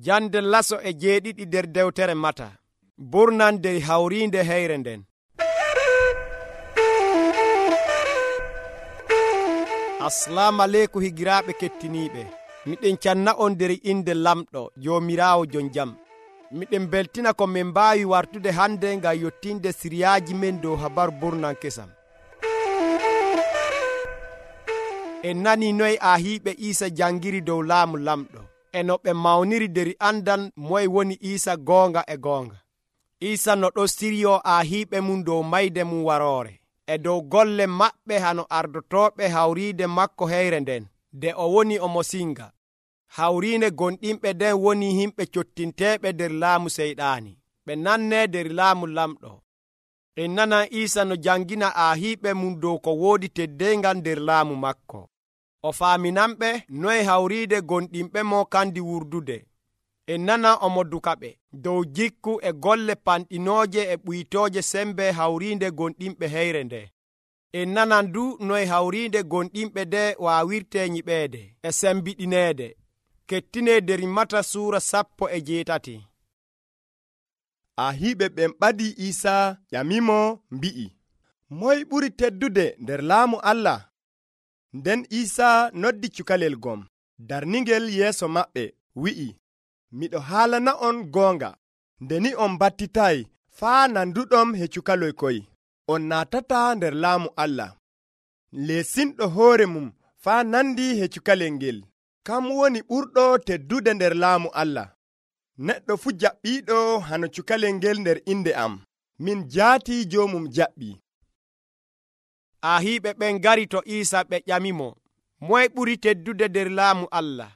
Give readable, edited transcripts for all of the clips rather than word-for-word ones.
Jande laso e 7 nder dewtere Mata. Burnan nder hawriinde heyre nden. Assalamu aleykum higiraaɓe kettiniiɓe. Miɗen canna on nder inde lamɗo Joomiraawo jon jam. Miɗen beltina ko min mbaawi wartude hande ngam yottinde siriyaaji men dow habaru burnan kesam. En nani noy ahiiɓe Iisa jangiri dow laamu lamɗo, e no ɓe mawniri nder andal moye woni Iisa goonga e goonga. Iisa no ɗo siriyoo ahiiɓe mum dow mayde mum waroore, e dow golle maɓɓe hano ardotooɓe hawriide makko heyre nden, nde o woni omo singa. Hawriinde gonɗinɓe nden woni himɓe cottinteeɓe nder laamu Seyɗaani, ɓe nannee nder laamu lamɗo. En nanan Iisa no jangina ahiiɓe mum dow ko woodi teddengal nder laamu makko. O faaminanɓe noye hawriide gonɗinɓe mo kandi wurdude. En nanan omo dukaɓe dow jikku e golle panɗinooje e ɓuytooje sembe hawriinde gonɗinɓe heyre nde. En nanan du noye hawriinde gonɗinɓe nde waawirtee nyiɓeede e sembiɗineede. Kettinee nder Mata suura 18. Ahiiɓe ɓen ɓadii Iisaa ƴamimo mbi'i, moy ɓuri teddude nder laamu Allah? Nden Iisaa noddi cukalel gom, darningel yeeso maɓɓe, wi'i, miɗo haalana'on goonga, nde ni on battitay faa nanduɗom he cukaloy koy, on naatataa nder laamu Allah. Leesinɗo hoore mum faa nandi he cukalel ngel, kam woni ɓurɗo teddude nder laamu Allah. Neɗɗo fuu jaɓɓiiɗo hano cukalel ngel nder inde am, min jaatii joomum jaɓɓii. Ahiiɓe ɓen ngari to Iisa ɓe ƴamimo, moye ɓuri teddude nder laamu Allah?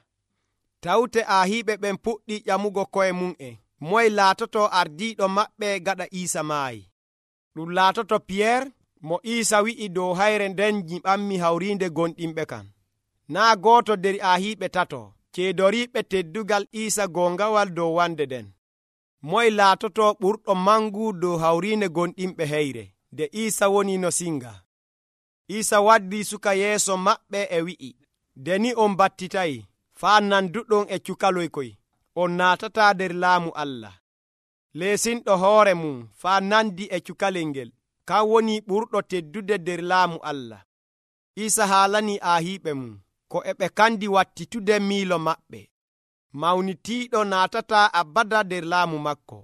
Tawte ahiiɓe ɓen puɗɗii ƴamugo koye mum'en, moye laatoto ardiiɗo maɓɓe gaɗa Iisa maayi. Ɗum laatoto Piyeer, mo Iisa wi'i dow hayre nden nyiɓanmi hawriinde gonɗinɓe kan. Naa gooto nder ahiiɓe tato ceedoriiɓe teddugal Iisa goongawal dow wande nden. Moye laatoto ɓurɗo mangu dow hawriinde gonɗinɓe heyre, nde Iisa woni no singa. Iisa waddii suka yeeso maɓɓe e wi'i, nde ni on battitayi, faa nanduɗon e cukaloy koy, on naatataa nder laamu Allah. Leesinɗo hoore mum faa nandi e cukalel ngel, kan woni ɓurɗo teddude nder laamu Allah. Iisa haalanii ahiiɓe mum ko e ɓe kandi wattitude miilo maɓɓe. Mawnitiiɗo naatataa abada nder laamu makko.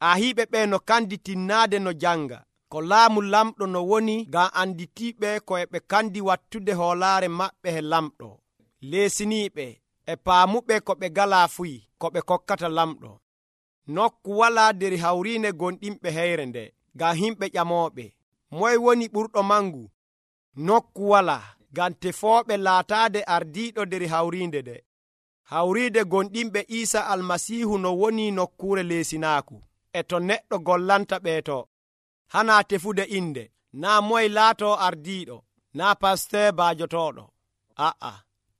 Ahiiɓe ɓe no kandi tinnaade no janga, ko laamu lamɗo no woni ngam anditiiɓe ko e ɓe kandi wattude hoolaare maɓɓe he lamɗo. Leesiniiɓe e paamuɓe ko ɓe galaa fuyi ko ɓe kokkata lamɗo. Nokku walaa nder hawriinde gonɗinɓe heyre nde, ngam himɓe ƴamooɓe, moye woni ɓurɗo mangu? Nokku walaa, ngam tefooɓe laataade ardiiɗo nder hawriinde nde. Hawriinde gonɗinɓe Iisa Almasiihu no woni nokkuure leesinaaku, e to neɗɗo gollanta ɓeeto. Hanaa tefude inde, naa moye laatoo ardiiɗo, naa pasteur baajotooɗo. A'a,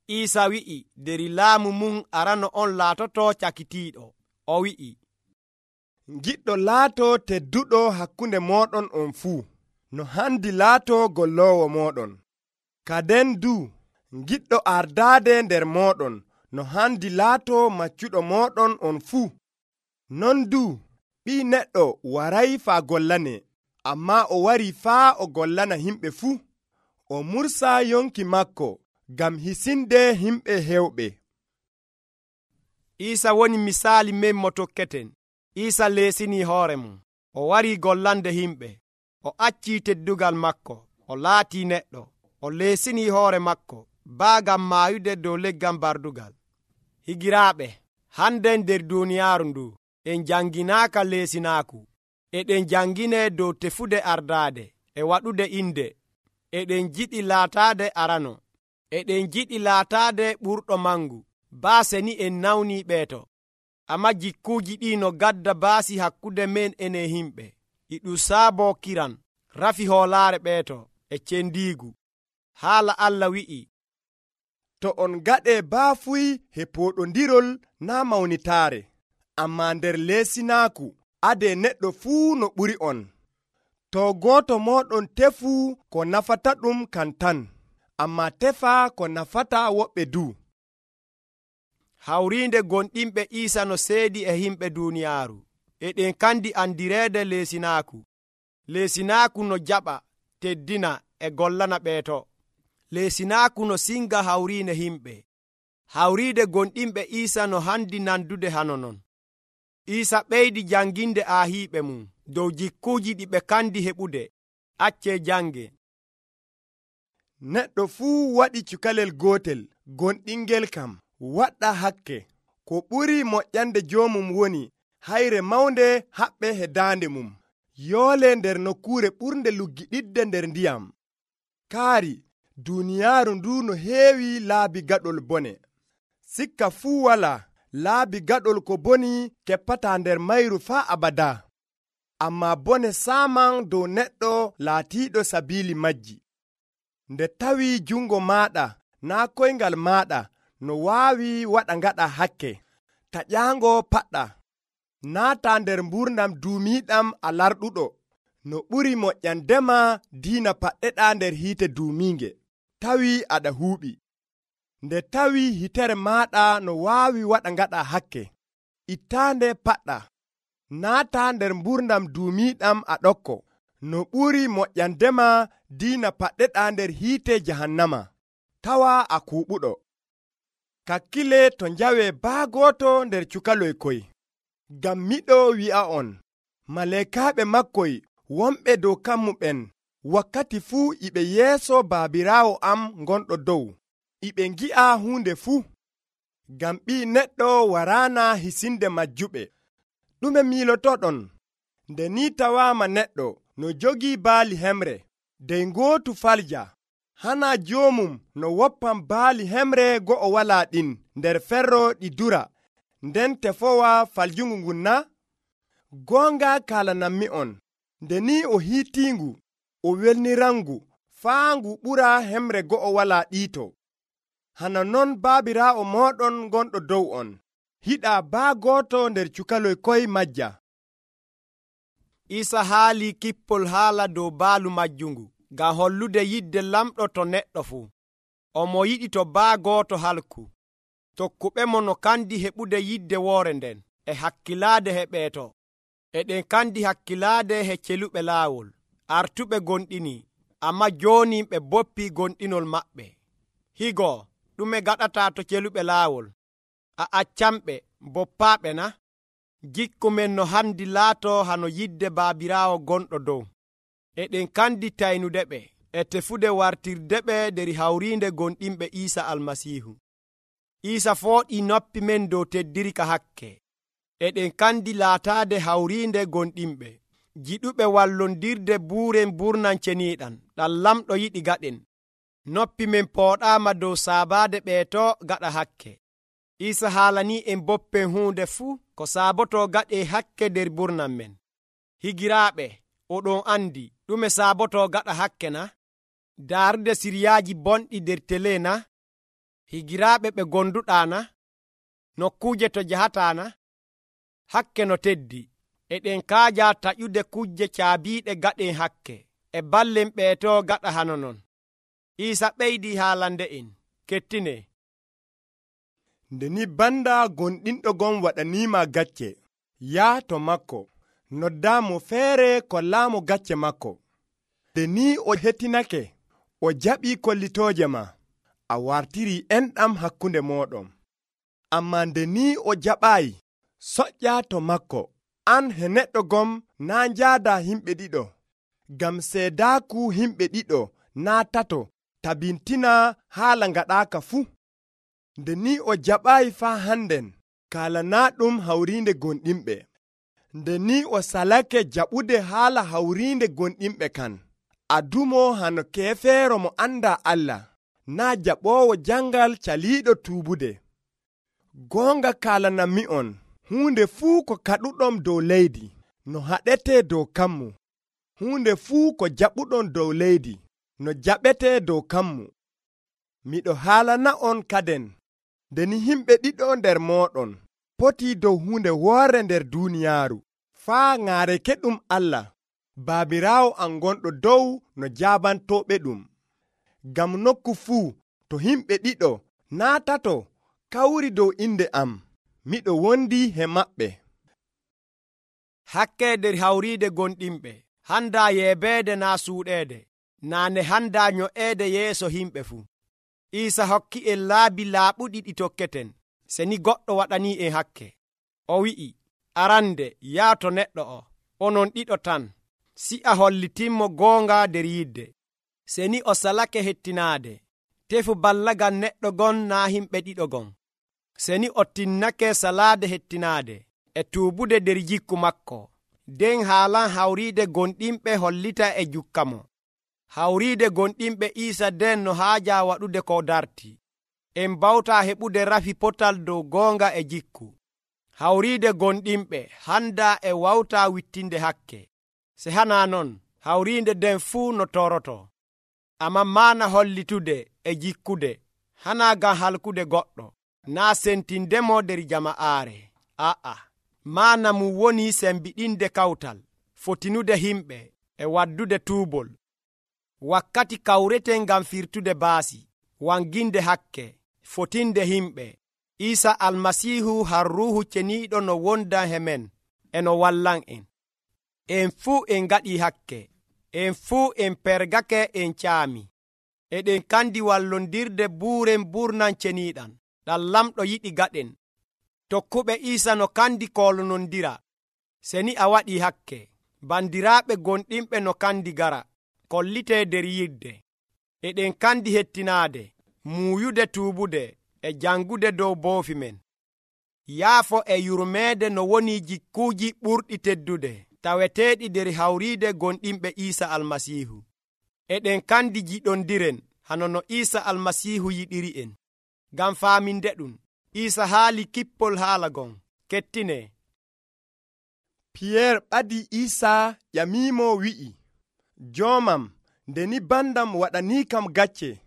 Iisa wi'i nder laamu mum arano on laatotoo cakitiiɗo. O wi'i, giɗɗo laatoo tedduɗo hakkunde mooɗon on fuu, no handi laatoo golloowo mooɗon. Kaden du, giɗɗo ardaade nder mooɗon, no handi laatoo maccuɗo mooɗon on fuu. Non du, ɓii neɗɗo waray faa gollane, ammaa o wari faa o gollana himɓe fuu. O mursa yonki makko ngam hisinde himɓe hewɓe. Iisa woni misaali men mo tokketen. Iisa leesinii hoore mum, o warii gollande himɓe, o accii teddugal makko, o laatii neɗɗo, o leesinii hoore makko baagam maayude dow leggal bardugal. Higiraaɓe, hande nder duuniyaaru ndu en janginaaka leesinaaku, eɗen janginee dow tefude ardaade e waɗude inde, eɗen jiɗi laataade arano, eɗen jiɗi laataade ɓurɗo mangu, baase ni en nawnii ɓeeto. Amma jikkuuji ɗi no gadda baasi hakkunde men enen himɓe, e ɗum saaboo kiran, rafi hoolaare ɓeeto e cendiigu. Haala Allah wi'i, to on gaɗee baafuy he pooɗondirol naa mawnitaare, ammaa nder leesinaaku adee neɗɗo fuu no ɓuri on. To gooto mooɗon tefu ko nafata ɗum kan tan, ammaa tefa ko nafata woɓɓe du. hawriinde gonɗinɓe Iisa no seedi e himɓe duuniyaaru, eɗen kandi andireede leesinaaku no jaɓa, teddina e gollana ɓeeto. Leesinaaku no singa hawriine himɓe. Hawriide gonɗinɓe Iisa no handi nandude hano non. Iisa ɓeydi janginde aahiiɓe mum dow jikkuuji ɗi ɓe kandi heɓude. Accee jange. Neɗɗo fuu waɗi cukalel gootel, gonɗingel kam waɗɗa hakke. Ko ɓuri moƴƴande joomum woni hayre mawnde haɓɓe he daande mum, yoole nder nokkuure ɓurnde luggiɗidde nder ndiyam. Kaari, duuniyaaru ndu no heewi laabi gaɗol bone. Sikka fuu walaa laabi gaɗol ko boni keppataa nder mayru faa abada. Ammaa bone saaman dow neɗɗo laatiiɗo sabiili majji. Nde tawii jungo maaɗa naa koyngal maaɗa no waawi waɗa ngaɗa hakke, taƴaango paɗɗa. Naata nder mburnam duumiiɗam a larɗuɗo, no ɓuri moƴƴandema diina paɗɗeɗaa nder hiite duumiinge, tawii aɗa huuɓi. Nde tawii hitere maaɗa no waawi waɗa ngaɗa hakke, ittaande paɗɗa. Naata nder mburnam duumiiɗam a ɗokko, no ɓuri moƴƴandema diina paɗɗeɗaa nder hiite jahannama, tawa a kuuɓuɗo. Kakkile to njawee baagooto nder cukaloy koy. Ngam miɗo wi'a'on, maleekaaɓe makkoy wonɓe dow kammuɓen wakkati fuu iɓe yeeso Baabiraawo am gonɗo dow, iɓe ngi'a huunde fuu. Ngam Ɓii Neɗɗo waraana hisinde majjuɓe. Ɗume miilotoɗon? Nde ni tawaama neɗɗo no jogii baali hemre, dey ngootu falja, hana joomum no woppan baali hemre go'o walaa ɗin nder ferro ɗi dura, nden tefowa faljungu ngun na? Goonga kaalanammi'on, nde ni o hiitiingu, o welnirangu, faa ngu ɓura hemre go'o walaa ɗiito. Hana non Baabiraawo mooɗon gonɗo dow on, hiɗaa baagooto nder cukaloy koy majja. Iisa haali kippol haala dow baalu majjungu ngam hollude yidde lamɗo to neɗɗo fuu. Omo yiɗi to baagooto halku. Tokkuɓe mo no kandi heɓude yidde woore nden e hakkilaade he ɓeeto. Eɗen kandi hakkilaade he celuɓe laawol. Artuɓe gonɗini, amma jooni ɓe boppii gonɗinol maɓɓe. Higo, ɗume gaɗataa to celuɓe laawol? A accanɓe, boppaaɓe na? Jikku men no handi laato hano yidde Baabiraawo gonɗo dow. Eɗen kandi taynudeɓe e tefude wartirdeɓe nder hawriinde gonɗinɓe Iisa Almasiihu. Iisa fooɗii noppi men dow teddirka hakke. Eɗen kandi laataade hawriinde gonɗinɓe, jiɗuɓe wallondirde buuren burnan ceniiɗan, ɗam lamɗo yiɗi gaɗen. Noppi men pooɗaama dow saabaade ɓeeto gaɗa hakke. Iisa haalanii en boppen huunde fuu ko saaboto gaɗee hakke nder burnan men. Higiraaɓe, oɗon andi ɗume saaboto gaɗa hakke na? Daarude siryaaji bonɗi nder tele na? Higiraaɓe ɓe gonduɗaa na? Nokkuuje to jahataa na? Hakke no teddi. Eɗen kaaja taƴude kujje caabiiɗe gaɗen hakke, e ballen ɓeeto gaɗa hano non. Iisa ɓeydii haalande en, kettine. Nde ni banda gonɗinɗo gon waɗaniima gacce, yaa to makko, noddaamo feere kollaamo gacce makko. Nde ni o hettinake, o jaɓii kollitooje ma, a wartirii enɗam hakkunde mooɗon. Ammaa nde ni o jaɓaayi, soƴƴa to makko, an he neɗɗo gom naa njaadaa himɓe ɗiɗo, ngam seedaaku himɓe ɗiɗo naa tato tabintina haala ngaɗaaka fuu. Nde ni o jaɓaayi faa hannden, kaalanaaɗum hawriinde gonɗinɓe. Nde ni o salake jaɓude haala hawriinde gonɗinɓe kan, adumo hano keefeero mo andaa Allah, naa jaɓoowo jangal caliiɗo tuubude. Goonga kaalanammi'on, huunde fuu ko kaɗuɗon dow leydi, no haɗetee dow kammu. Huunde fuu ko jaɓuɗon dow leydi, no jaɓetee dow kammu. Miɗo haalana'on kaden, nde ni himɓe ɗiɗo nder mooɗon potii dow huunde woore nder duuniyaaru, faa ŋaareke ɗum Allah, Baabiraawo am gonɗo dow no jaabantooɓe ɗum. Ngam nokku fuu to himɓe ɗiɗo naa tato kawri dow inde am, miɗo wondi he maɓɓe. Hakke nder hawriide gonɗinɓe, handa yeebeede naa suuɗeede, naane handa nyo'eede yeeso himɓe fuu. Iisa hokki en laabi laaɓuɗi ɗi tokketen, seni goɗɗo waɗanii en hakke. O wi'i, arande yaato neɗɗo o, onon ɗiɗo tan, si'a hollitinmo goonga nder yidde. Seni o salake hettinaade, tefu ballagal neɗɗo gon naa himɓe ɗiɗo gon. Seni o tinnake salaade hettinaade e tuubude nder jikku makko. Den haalan hawriide gonɗinɓe hollita e jukka mo. Hawriide gonɗinɓe Iisa den no haaja waɗude ko darti. En bawta heɓude rafi potal dow goonga e jikku. Hawriide gonɗinɓe handa e wawta wittinde hakke. Se hana non, hawriide den fuu no toroto. Amma maana hollitude e jikkude, hana ngam halkude goɗɗo, naa sentindemo nder jama'aare. Maana mum woni sembiɗinde kawtal, fotinude himɓe e waddude tuubol. Wakkati kawreten ngam firtude baasi, wanginde hakke, fotinde himɓe. Iisa almasiihu har ruuhu ceniiɗo no wondan he men e no wallan en. En fuu en ngaɗi hakke, en fuu en pergake en caami. Eɗen kandi wallondirde buuren burnan ceniiɗan, ɗam lamɗo yiɗi gaɗen. Tokkuɓe Iisa no kandi kolonondira. Seni a waɗi hakke, bandiraaɓe gonɗinɓe no kandi gara, kollite nder yidde. Eɗen kandi hettinaade, muuyude tuubude e jangude dow boofi men. Yaafo e yurmeede no woni jikkuuji ɓurɗi teddude, taweteeɗi nder hawriide gonɗinɓe Iisa almasiihu. Eɗen kandi jiɗondiren hano no Iisa almasiihu yiɗiri en. Ngam faaminde ɗum, Iisa haali kippol haala gon. Kettine. Piyeer ɓadi Iisa ƴamimo wi'i, joomam, nde ni bandam waɗanii kam gacce,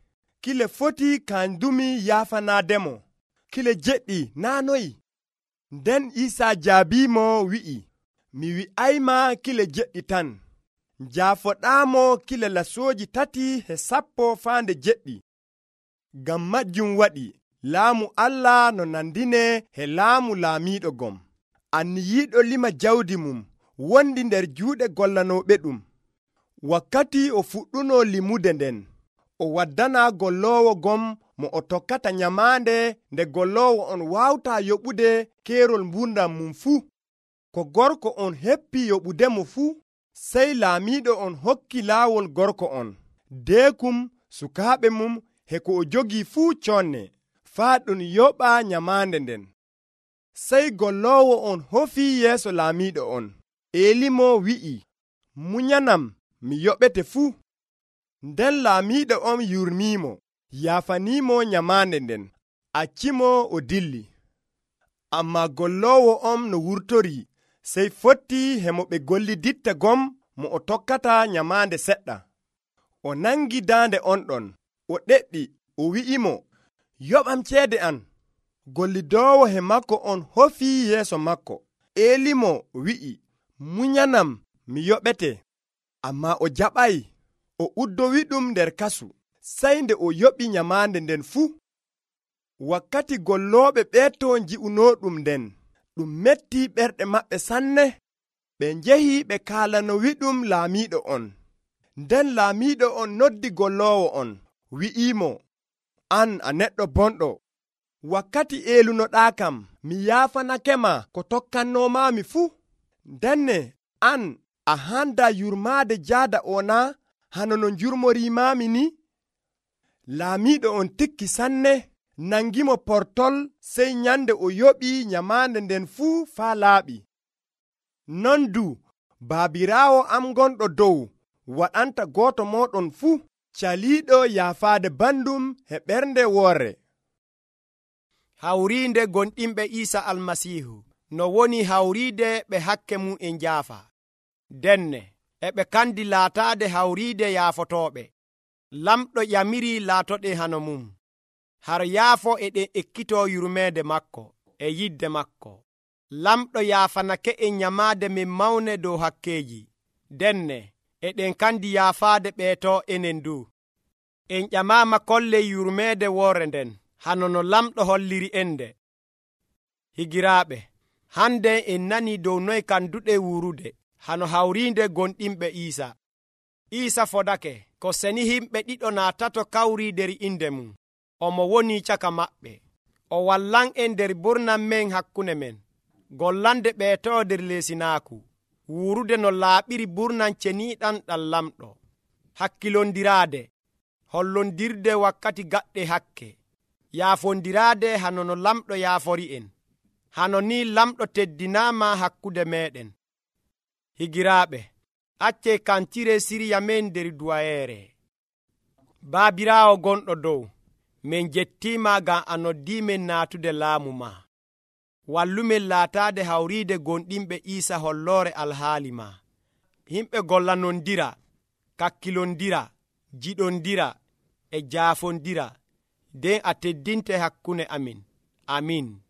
kile foti kanjumi yaafanaademo, kile jeɗɗi naa noyi? Nden Iisa jaabiimo wi'i, mi wi'ayma kile jeɗɗi tan, njaafoɗaamo kile lasooji 370. Ngam majjum waɗi laamu Allah no nandine he laamu laamiiɗo gom. Anniyiiɗo lima jawdi mum wondi nder juuɗe gollanooɓe ɗum. Wakkati o fuɗɗuno limude nden, o waddana golloowo gom mo o tokkata nyamaande nde golloowo on waawta yoɓude keerol mburdam mum fuu. Ko gorko on heppi yoɓudemo fuu, sey laamiiɗo on hokki laawol gorko on, deekum, sukaaɓe mum, he ko o jogii fuu conne, faa ɗum yoɓa nyamaande nden. Sey golloowo on hofii yeeso laamiiɗo on, eelimo wi'i, munyanam, mi yoɓete fuu. Nden laamiiɗo on yurmiimo, yaafaniimo nyamaande nden, accimo o dilli. Ammaa golloowo on no wurtorii, sey fottii he mo ɓe golliditta gom mo o tokkata nyamaande seɗɗa. O nangi daande on ɗon, o ɗeɗɗi, o wi'imo, yoɓam ceede an. Gollidoowo he makko on hofii yeeso makko, eelimo wi'i, munyanam, mi yoɓete. Ammaa o jaɓay, o uddowi ɗum nder kasu, sey nde o yoɓi nyamaande nden fuu. Wakkati gollooɓe ɓeeto nji'unooɗum nden, ɗum metti ɓerɗe maɓɓe sanne. Ɓe njehi ɓe kaalanowiɗum laamiiɗo on. Nden laamiiɗo on noddi golloowo on, wi'iimo, an a neɗɗo bonɗo, wakkati eelunoɗaakam, mi yaafanakema ko tokkannoomaami fuu. Ndenne an a handa yurmaade jaada o naa hano no njurmoriimaami ni? Laamiiɗo on tikki sanne, nangimo portol, sey nyande o yoɓi nyamaande nden fuu faa laaɓi. Non du baabiraawo am gonɗo dow waɗanta gooto mooɗon fuu caliiɗo yaafaade bandum he ɓernde woorre. Hawriinde gonɗinɓe Iisa almasiihu no woni hawriide ɓe hakke mum e njaafa. Denne e ɓe kandi laataade hawriide yaafotooɓe. Lamɗo ƴamiri laatoɗe hano mum. Har yaafo eɗen ekkitoo yurmeede makko e yidde makko. Lamɗo yaafanake en nyamaade min mawne dow hakkeeji. Denne eɗen kandi yaafaade ɓeeto enen du. En ƴamaama kolley yurmeede woore nden, hano no lamɗo holliri ende. Higiraaɓe, hande en nani dow noy kanduɗe wurude hano hawriinde gonɗinɓe Iisa fodake ko seni himɓe ɗiɗo naatato kawri nder inde mum. Omo woni caka maɓɓe. O wallan'en nder burnan men hakkunde men, gollande ɓeetowo nder leesinaaku, wurude no laaɓiri burnan ceniiɗan ɗam lamɗo, hakkilondiraade, hollondirde wakkati gaɗɗe hakke, yaafondiraade hano no lamɗo yaafori en. Hano ni lamɗo teddinaama hakkunde meɗen. Higiraaɓe, acce kancire sirya men nder duwayeere. Baabiraawo gonɗo dow, min jettiima ngam a noddiimen naatude laamu ma. Wallumen laataade hawriide gonɗinɓe Iisa holloore alhaali ma. Himɓe gollanondira, kakkilondira, jiɗondira e jaafondira, nden a teddinte hakkunde amin. Amin.